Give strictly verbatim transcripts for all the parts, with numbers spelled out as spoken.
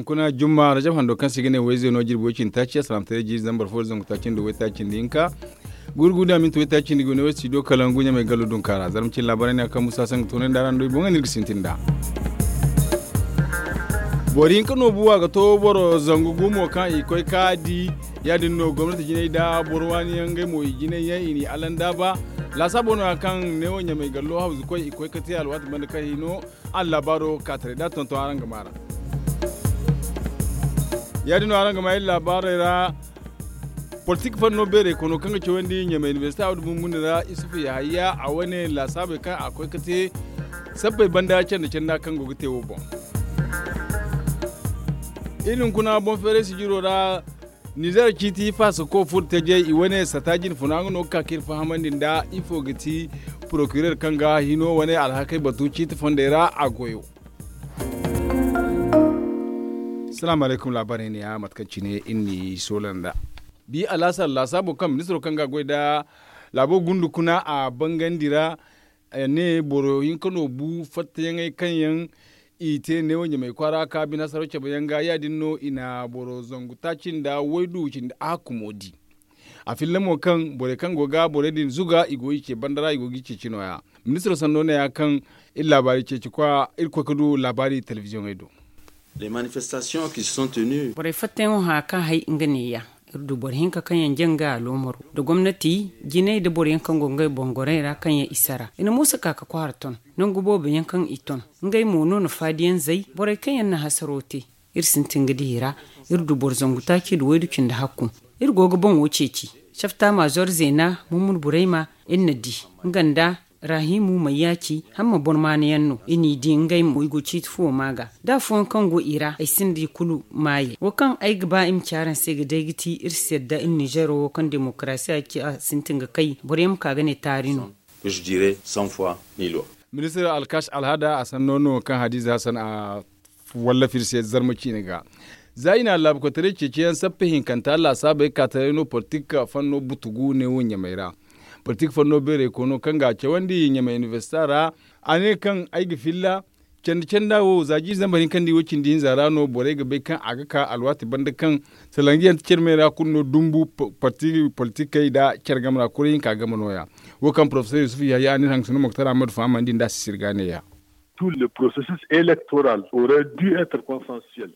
Kuna jumma rajab hando kaŋ se i ga ne wayze no jirbi way cindi taaci a salaamataray jiiri zambar fo da zangu taaci nda way taaci nda hinka. Gurgu da minti way taaci nda gune way studio kalangu ɲamay gallo dunkaara zarma cine laabaray ne a kaŋ musa sanga toonay nda araŋ do i boŋ ga no iri ga sintin nd'a. Boro hinka no buwa ga to boro zangu gumo kaŋ i koy ka di. Ya- din no gomnati jinay nda boro waani yaŋ ngey mo i jinay yaŋ i n'i alanda ba. Laasaabo no- ya kaŋ neewo ɲamay gallo hawzu koy i koy ga te alwaati banda kaŋ hino. Araŋ laabaaro ka taray da tonton araŋ ga maar'a. Ya- din no araŋ ga maa iri laabaarey ra. Politik fanno beerey kono kaŋ ga cawandi ɲamay inibersite a wo da bumbuni ra isufu yahaya a wane laasaabey kaŋ a koy ga te sabbay banda canda canda kaŋ go ga te wo boŋ. Iri hunkuna boŋ feeray sijiro ra. Nizeer ciiti faasako furo tajey i wane sata jinfuna nga no ga ka ka iri fahamandi nda ifo ga ti porokireer kaŋ ga hino wane alhakey batu ciiti fondey ra a goyo. Salaamu alaykum laabaarey ne ya mate kaŋ cine iri n'i soola nd'a. Bi alaasar laasaabo kaŋ ministiro kaŋ ga a goy nda laabo gundu kuna a bangandi ra. A ne boro hinka no bu fattayaŋey kaŋ yaŋ i te neewo ɲamay kwaara ka bine hasaraw cabe yaŋ ga ya- din no i na boro zangu taaci nda waydu cindi a hakkumo di. A filla mo kaŋ borey kaŋ go ga borey din zuga i go ga i ce banda ra i go ga i ceeci no- ya. Ministiro sanno ne- ya kaŋ iri laabaari ceeci kwa iri koy ga du laabaari telebiziyoŋey do. Borey fattayaŋo hã kaŋ hay nga ne- ya. Iri du boro hinka kaŋ yaŋ jaŋ ga aloomaro nda gomnati jinay nda boro yaŋ kaŋ go ngey boŋ gorey ra kaŋ yaŋ i sara i na moosa ka ga kwaara ton. Nangu boobo yaŋ kaŋ i ton ngey mo no na faadiyaŋ zay borey kaŋ yaŋ na hasaro te. Iri sintin ga di i ra. Iri du boro zangu taaci nda waydu cindi hakku. Iri go ga boŋo ceeci. Safta maazor zeena mummuni burayma iri na di nga nda rahimu mayyaci hamma bormaana yaŋ no i n'i di ngey mo i go ciiti fuwo maa ga. Da afooyaŋ kaŋ go i ra ay sinda i kulu maayey wo kaŋ ay ga ba i ma ci araŋ se ga day ga ti iri si yadda iri ninzeero wo kaŋ demokarasiya ci a sintin ga kay boro yaŋ ma ka ga ne taari no. Ministir alkash alhada a sanno no kaŋ hadiza hasan a wallafa iri se zarma ciine ga. Za i na laabukoytaray ceeciyaŋ sappe hinkanta laasaabey kaataray no politik fanno butugu neewo ɲamay ra. Politik fanno beerey kono kaŋ ga a cawandi ɲamay inibersita ra. A ne kaŋ ay ga filla candi canda wo za jiiri zambar hinka nda i wo cindi hinza ra no borey ga bay kaŋ a ga ka alwaati banda kaŋ salangiyaŋ te care me ra kulu no dumbu parti politikey nda care game ra kuray hinka game no- ya. Wo kaŋ porofesor yusuf yahya a ne iri hangasino moktar ahmadu fahamandi nda a si sirga ne- ya.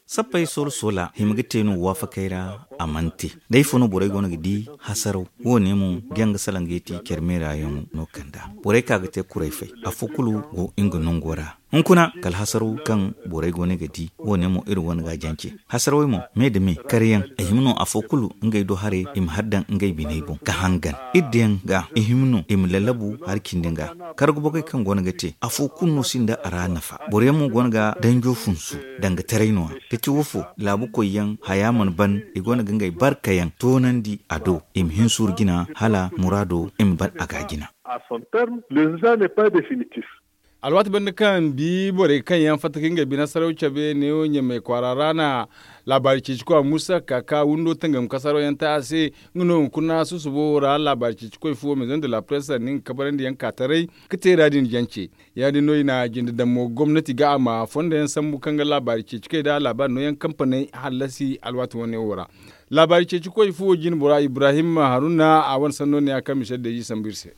Sappey soola soola hima ga te no waafakey ra. A mana te da ifo no borey go no ga di hasaraw wo- ne mo ga yaŋ ga salaŋ ga i ti care meera yaŋo no kanda borey ka ga te kuray fay afo kulu go nga nango ra. Hunkuna kala hasaraw kaŋ borey go no ga di wo- ne mo iri wane ga a jance. Hasarawey mo me nda me kar yaŋ a hima no afo kulu ngey do haray i ma har daŋ ngey biney boŋ ga hangan. Iri daŋ ga i hima no i ma lallabu hari cindi ga. Karga bogey kaŋ go no ga te afo kulu no sinda a ra nafa boro yaŋ mo go no ga danjo funsu danga taray no- ya ga ti wo fo laabu koy yaŋ haya mana ban i go no ga ngey barka yaŋ toonandi a do i ma hin suuru jina hala muraado i ma ban a ga jina. Alwaati banda kaŋ bi borey kaŋ yaŋ fatta ka ngey bine saraw cabe neewo ɲamay kwaara ra na laabaari ceeci kwa muusa ka ka windo tangam kasaro yaŋ te a se. Nga no hunkuna susubo wo ra laabaari ceeci koy fuwo maison de la presse sanni nga kabarandi yaŋ ka taray ka teera din jance. Ya- din no i na jinde daŋ mo gomnati ga a ma fondo yaŋ sambu kaŋ ga laabaari ceeci koy nda laabaari no yaŋ kampaney hallasi alwaati wane wo ra. Laabaari ceeci koy fuwo jine bora ibrahim haruna a wane sanno ne ya kaŋ michel deji sambu iri se.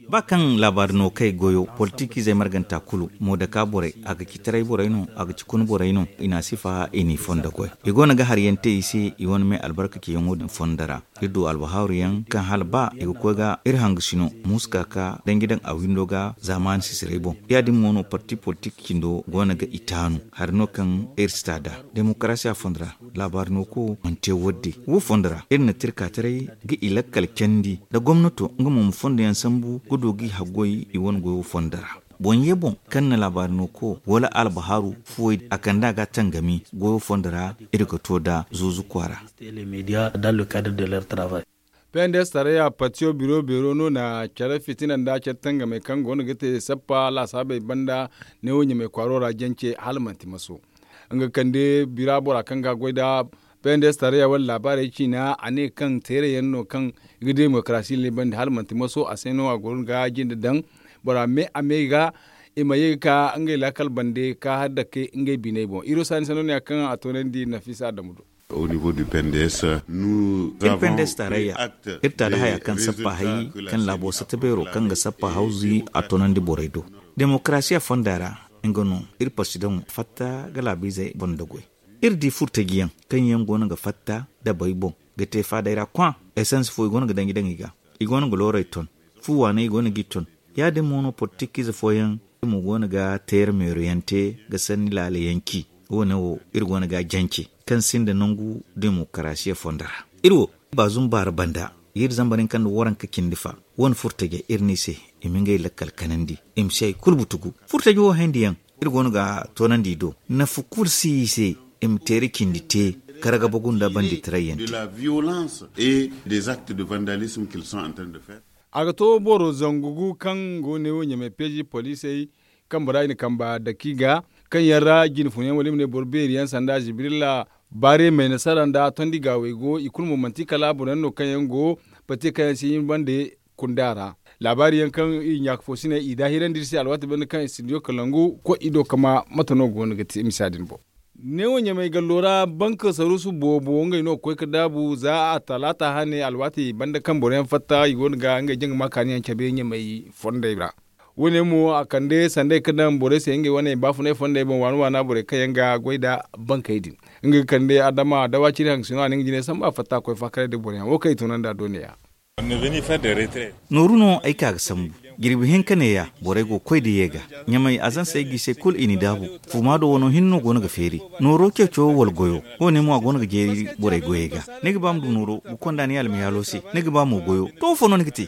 Ba kaŋ laabaari no kay goyo politikiizey marganta kulu moodaka borey a ga ci taray borey no a ga ci kun borey no i na a sifa i n'i fondo goy. I go no ga hari yaŋ te i se i wane me albarka ceeyaŋo din fondo ra. Iri du albahaaru yaŋ kaŋ hala ba i ga koy ga iri hangasino muuska ka danji daŋ a windo ga zaamaani sisiray boŋ ya- din mo no parti politik cindo go no ga i taanu hari no kaŋ iri si ta nd'a. Demokarasiya fondo ra laabaari no ko mana te wadde wo fondo ra iri na tirka taray ga i lakkal candi nda gomnato nga mo ma fondo yaŋ sambu ga du ga i haggoy i wane goyo fondo ra. Boŋ ye boŋ kaŋ na laabaari no ko wala albahaaru fuwey a kand'a ga tangami goyo fondo ra iri ga to nda zuuzu kwaara. Pnds tarayya patiyo biro beero no na care fitina nda care tangamey kaŋ go no ga te sappa laasaabey banda neewo ɲamay kwaaro ra jance hala manti maso. Nga kande bira bora kaŋ ga goy nda pnds tarayya wane laabaarey ciina a ne kaŋ teerayaŋ no kaŋ ga demokarasi libandi hala manti maso a se no a goro ga jinde daŋ bora me a me ga i ma ye ga ka ngey laakal bande ka har dake ngey biney boŋ. Iro saani sanno ne ya kaŋ a toonandi nafisa adamu do. Iri pendes taarayya, iri ta da haya kaŋ sappa hay kaŋ laabo satta beero kaŋ ga sappa hawzi a toonandi borey do. Demokarasiya fonda ra, nga no iri parsidaŋo fatta ga laabiizey boŋ da goy. Iri di furtajiyaŋ kaŋ yaŋ go no ga fatta dabey boŋ ga te faaday ra kwaa. Esans fo i go no ga danji daŋ i ga, i go no ga loorey ton. Fu waaney i go no g'i ton. Ya- din mo no politikize fooyaŋ mo go no ga teera meeroyaŋ te ga sanni laala yaŋ ci. Wo- ne wo iri go no ga a jance kaŋ sinda nangu demokarasiya fonda ra. Iri wo, baazum baara banda, iri zambar yaŋ kaŋ nda waranka cindi fa. Wo- ne furtaje iri ne i se, i ma ngey lakkal kanandi, i ma si hari kulu butugu. Furtaje wo hayandi yaŋ iri go no ga a toonandi i do. Nafa kulu si i se, i ma teeri cindi te ka ragabagu nda banditaray yaŋ te. A ga to boro zangu gu kaŋ go ne wo ɲamay peeji poliisey, kaŋ bora i na kamba daki ga, kaŋ yaŋ ra jine fun yaŋ wala i ma ne boro beeri yaŋ sanda zibirilla, baare may nasara nda tondi gaawey go i kulu mo manti kala boro yaŋ no kaŋ yaŋ go bate kaŋ yaŋ si hin bande kunda ra. Laabaari yaŋ kaŋ i ɲaaka fo si ne i daahirandi iri se alwaati banda kaŋ i sindiyo kalangu koy i do kama mate no go no ga te misa din boŋ. Neewo ɲamay gallo ra banka saruusu boobo ngey no ga koy ga daabu za a talaata hane alwaati banda kaŋ boro yaŋ fatta i go no ga ngey jaŋ ga ma kaani yaŋ cabe ɲamay fondey ra. Wo- ne mo a kande sanday ga daŋ borey se ngey wane baafunay fondey boŋ waana waana borey kaŋ yaŋ ga goy nda bankey din. Nga ga kande adama dawa ciri haŋ ga sino a na nga jine samba fatta koy faakaray nda boro yaŋ wo kaŋ i tunandi a do ne- ya. Nooru no ay ka ga sambu. Jirbi hinka neeya borey go ga koy da ye ga. Ɲamay azansey g'i se kulu i n'i daabu. Fuuma do wano hinne no go no ga feeri. Nooro ceeco wala goyo wo- ne mo a go no ga jeeri borey goyey ga. Ni ga ba ma du nooro ga konda ni almiyaalo se. Ni ga ba mo goyo to ifo no ni ga te?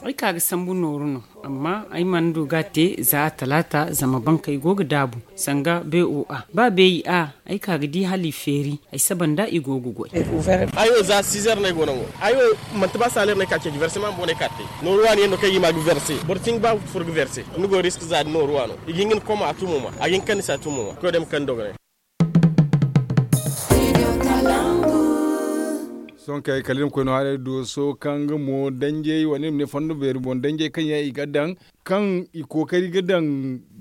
Ay ka ga sambu nooru no. Amma ay mana du ga a te za a talaata zama bankey go ga daabu. Sanga b o a ba beeyi a ay ka ga di hala i feeri. Ay saba nda i go ga goy. Ayo za sizer no ay go nango. Ayo manti ba saler no ay ka ceeci verse ma bone ka te. Nooru waani yaŋ no kaŋ i ma ga verse boro cin ba furo ga verse. Ni go risk za nooru waano i ga hin ga ni koma a tumo ma a ga hin ga kande se a tumo ma koy day ma kande dogonay. Sohõ kay kala iri ma koy no haray dooso kaŋ nga mo danjey wala iri ma ne fondo beeri boŋ danjey kaŋ yaŋ i ga daŋ kaŋ i kookari ga daŋ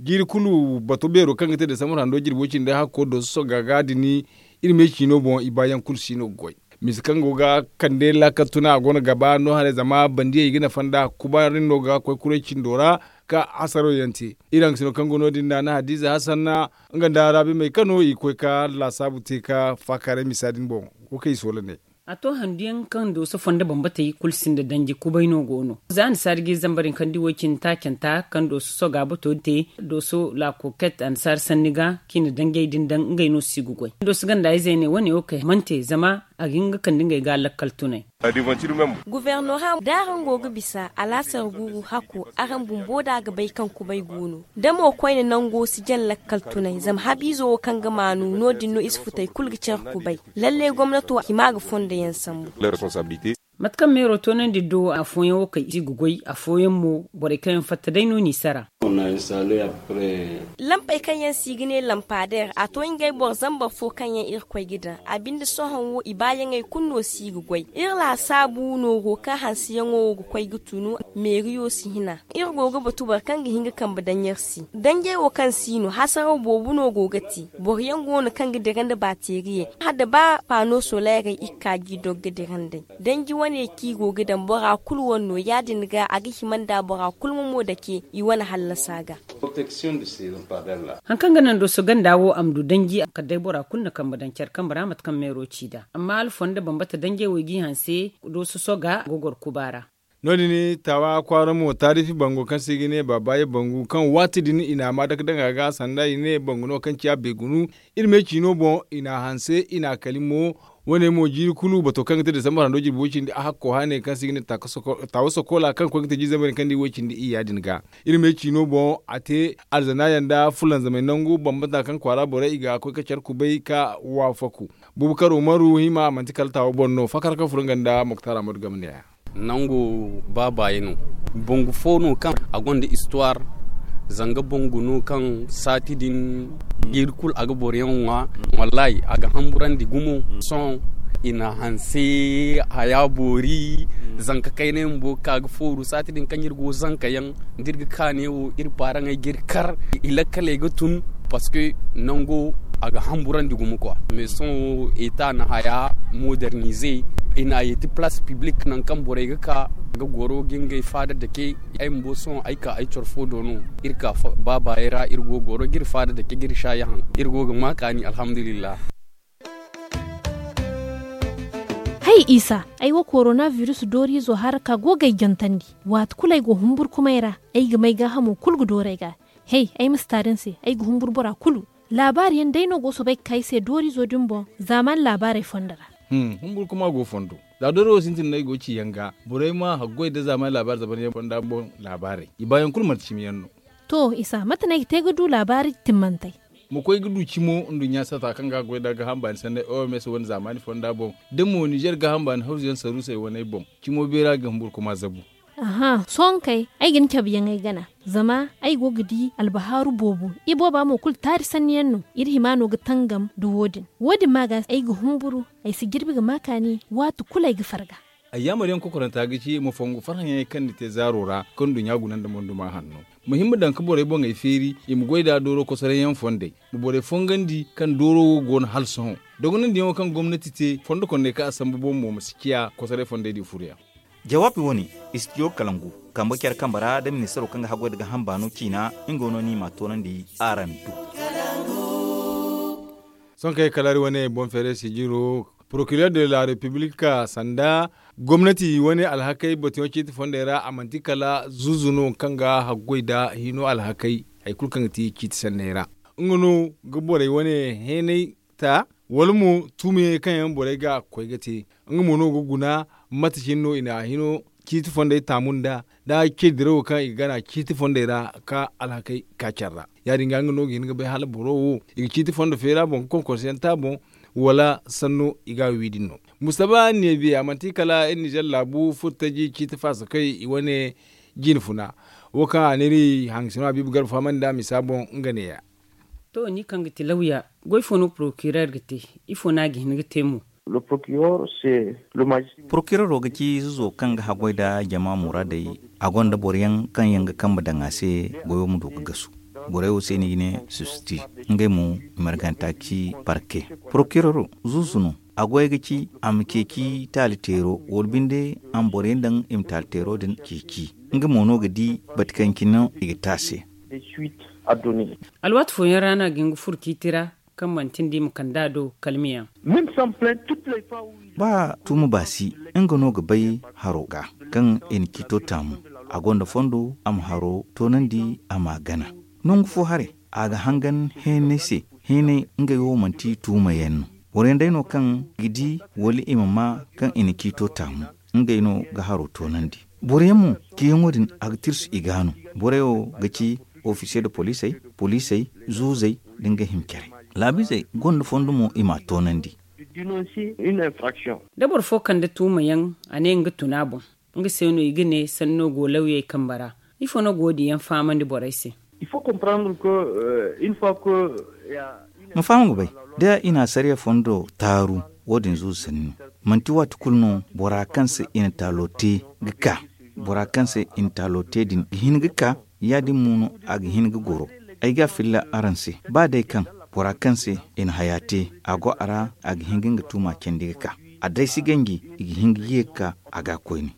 jiiri kulu bato beero kaŋ ga te desambar hando jirbo cindi hakko dooso soga ga din. Iri me ciino boŋ i baayaŋ kulu si no ga goy. Mise kaŋ go ga kande laakal tuna a go no ga ba no haray zama bandiyey i ga nafa nda kubaari no ga koy kuray cindo ra ka hasaro yaŋ te. Iri haŋ ga sino kaŋ go no- din na na hadiza hasanna nga nda raabi may kano i ga koy ka laasaabu te ka faakaaray misa din boŋ. Wo kaŋ i soola ne. A to handu yaŋ kaŋ dooso fondo bambatey kulu sinda danji kubay no go no za annasaari ga i zambar yaŋ kaŋ di woy cindi taacanta kaŋ dooso soga bato te. Dooso laakoket annasaari sanni ga kaŋ i na danjey din daŋ ngey no si ga goy dooso ganda izey ne wane wo kay mana te zama a ga hin ga kande ngey ga lakkal tunay. Gubernora da araŋ go ga bisa alaasar guuru hakko araŋ bumbo da ga bay kaŋ kubay go no. Da mo koyne nango si jaŋ lakkal tunay zama habiizo wo kaŋ ga maanu no- din no i si futay kulu ga care kubay. Lalle gomnato hima ga fondo yaŋ sambu. Mate kaŋ meero toonandi do afooyaŋ wo kay i si ga goy afooyaŋ mo borey kaŋ yaŋ fatta day no n'i sara. Lampey kaŋ yaŋ se i ga ne lampadeer a to ngey boro zambar fo kaŋ yaŋ irkoy ga daŋ a binde sohõ wo i baayaŋey kulu no si ga goy iri laasaabu nooro kaŋ hanseyaŋo wo ga koy ga tunu. Meeriyo si hina iri go ga batu boro kaŋ ga hin ga kambe daŋ iri se danjey wo kaŋ si no hasaraw boobo no go ga te. Boro yaŋ go no kaŋ ga dira nda baateeriyey hala da ba paano soleerey iri ka g'i dogga dira nd'ey. Danji wane kaŋ i go ga daŋ bora kulu wane no ya- din ga a ga hima nda bora kulu ma mo dake i wane hallasa ga. Haŋ kaŋ ga naŋ dooso ganda wo a ma du danji kala day bora kulu na kambe daŋ care kambe ra mate kaŋ meero ci nd'a amma hala fondo bambata danjey wo i g'i hanse dooso soga ga goro kuba ra. No- din taawa kwaara mo taarifi bango kaŋ se i ga ne baabaye bangu kaŋ waati din i n'a ma dake daŋ a ga sanda i ne bangu no kaŋ ciya beegunu. Iri me ciino boŋ i n'a hanse i n'a kali mo. Wo- ne mo jiiri kulu bato kaŋ ga te desambar hando jirbi way- cindi a hakko haaney kaŋ se i ga ne taawa sokoola kaŋ ga koy ga te jiiri zambar din kaŋ di way- cindi iyya din ga. Iri me ciino boŋ a te alzanaayaŋ nda fulanzamey nangu bambata kaŋ kwaara borey i ga koy ga care kubay ka waafaku. Bubakar umaru hima a manti kala taawa boŋ no fakar kaŋ furo nga nda moktar ahmadu game ne ya. Nango baabaye no. Bangu fo no kaŋ a gonda istuwaar. Zanga bangu no kaŋ saati din jiiri kulu a ga boro yaŋ ŋwa. Wallahi a ga hamburandi gumo. Sohõ I na hanse haya boori. Zanka kayna yaŋ bumbo ga ka ga fooru saati din kaŋ iri go zanka yaŋ da iri ga ka neewo iri paaraŋey ga iri kar. I lakkaley ga tun parce que nango a ga hamburandi gumo kwa mais sohõ eta na haya modernize. I na a yeeti place publique nangu kaŋ borey ga ka ga goro ga ngey faada dake. Ay bumbo sohõ ay ka ay coro fo do no. Iri ka baabaayey ra iri go goro ga iri faada dake ga iri saayi haŋ. Iri go ga ma kaani alhamdulillah. Hay isa, ay wo korona virus dooriizo hara ka go ga ay jantandi. Waati kulu ay go humburkumay ra, ay ga may gaahamo kulu ga dooru ay ga. Hey, ay ma si taari ni se, ay ga humburu bora kulu. Laabaari yaŋ day no go soobay ga ka ay se dooriizo din boŋ zaamaani laabaarey fondo ra. Humburkuma go fondo. Za dooro wo sintin no ay go ga ci yaŋ ga borey ma haggoy nda zaamaani laabaari zaban yaŋ fonda boŋ laabaarey i baayaŋ kulu manti cimi yaŋ no. To isa mate no ay ga te ga du laabaari timmantey? Ma koy ga du cimo nduɲɲa sata kaŋ ga goy nda gaaham baani sanney oms wane zaamaani fonda boŋ da mo nizer gaaham baani hawzu yaŋ saruusey waney boŋ. Cimo beera ga humburkuma zabu. Aha sohõ kay ay ga ni cabe yaŋ ay gana. Zama ay go ga di albahaaru boobo. Ibooba mo kulu taari sanni yaŋ no. Iri hima no ga tangam nda wo- din wo- din ma ga ay ga humburu. Ay si jirbi ga ma kaani waati kulu ay ga farga. Ayyaamar yaŋ kokoranta ga ci ma fongu farhãyaŋey kaŋ ni te zaaro ra kaŋ nduɲɲa guna nda monduma hanno. Ma hin ma daŋ ga borey boŋey feeri i ma goy nd'a dooro kosoray yaŋ fondey. Ma borey fongandi kaŋ dooro wo go no hala sohõ. Dogonandiyaŋo kaŋ gomnati te fondo kondey kaŋ a sambu boŋ mo ma si ciya kosoray fondey din furo yaŋ. Jawaabi wo- ne, istidiyo kalangu, kambe care kambe ra da ministaro kaŋ ga haggoy nda gaaham baano ciina. Nga no no i m'a toonandi araŋ do. Sohõ kaŋ ay kalaari wane boŋ feeray sijiro, porokirer de la repiblik sanda gomnati wane alhakey batuyaŋ ciiti fondey ra a manti kala zuuzu no kaŋ ga haggoy nda hino alhakey. Hari kulu kaŋ ga ti ciiti sanney ra nga no ga borey wane heenay ta wala mo tuumiyaŋey kaŋ yaŋ borey ga koy ga te. Nga mo no ga guna mate cine no i na hino ciiti fondey taamu nda da cee dirawo kaŋ i ga gana ciiti fondey ra ka alhakey ka care ra. Ya- din ga nga no ga hin ga bay hala boro wo i ga ciiti fondo feera boŋ ga konkonse yaŋ te a boŋ wala sanno i ga a wi din no. Mustaba neebiya manti kala iri nizer laabu furtaji ciiti faasakey i wane jine funa wo kaŋ a n'iri hangasino habiibu garba fahamandi nd'a misa boŋ nga neeya. To ni kaŋ ga ti lawya, goy fo no porokirer ga te? Ifo no a ga hin ga te mo? Porokirero ga ci zuzo kaŋ ga haggoy nda jama muraadey. A gonda boro yaŋ kaŋ yaŋ ga kambe daŋ a se goyo ma du ga gasu. Borey wo se no i ga ne subsiti. Ngey mo i marganta ga ci parke. Porokirero zuzu no. A goy ga ci a ma ceeci taali teero wala binde a ma boro yaŋ daŋ i ma taali teero din ceeci. Nga mo no ga di bate kaŋ cine no i ga te a se. Alwaati fooyaŋ ra no a ga hin ga furo ciiti ra kaŋ manti nda i ma kand'a do kalmiyaŋ. Ba tuuma ba si nga no ga bay haro ga kaŋ i na ciito taamu. A gonda fondo a ma haro toonandi a m'a gana. Nangu fo haray a ga hangan heenay se. Heenay ngey wo manti tuuma yaŋ no. Boro yaŋ day no kaŋ ga di wala i ma maa kaŋ i na ciito taamu. Ngey no ga haro toonandi. Boro yaŋ mo ciyaŋo din a ga tirsu i ga no. Borey wo ga ci ofisiye de poliisey, poliisey, zuuzey, nda nga hima care. Laabiizey gonda fondo mo i m'a toonandi. Da boro fo kande tuuma yaŋ a ne nga tun a boŋ. Nga se no i ga ne sanno go lawyey kambe ra. Ifo no ga wo- din yaŋ fahamandi borey se? Ma faham ga bay da i na asariya fondo taaru. Wo- din zuuzu sanni no. Manti waati kulu no bora kaŋ se i na taalo te ga ka. Bora kaŋ se i na taalo te din ga hin ga ka. Ya- din mo no a ga hin ga goro. Ay ga a filla araŋ se ba day kaŋ bora kaŋ se i na haya te a go a ra a ga hin ga nga tuuma candi ga ka. A day si ganji i ga hin ga ye ga ka a ga koyne.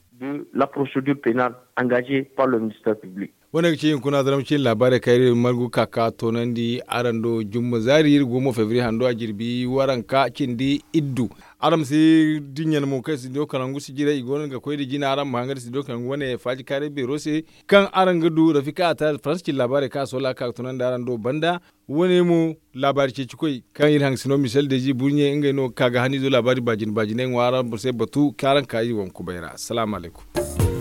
Wane ga ci hunkuna zaramci laabaarey kaŋ iri margu ga ka ga toonandi araŋ do jumma zaari iri go mo febriye hando a jirbi waranka cindi iddu. Araŋ ma si dinya no mo kaŋ studio kalangu si jiray i go no ga koy nda jina araŋ ma hangan studio kalangu wane faaji kaaray beero se kaŋ araŋ ga du rafika a taari faransa cine laabaarey kaŋ a soola ga ka ga toonandi araŋ do banda. Wane mo laabaari ceecikoy kaŋ iri hangasino misel deezi burɲe ngey no ga ka ga haniizo laabaari baajine baajiney ŋwa araŋ se batu kaŋ araŋ ka iri waŋ kubay ra salaamu alaykum.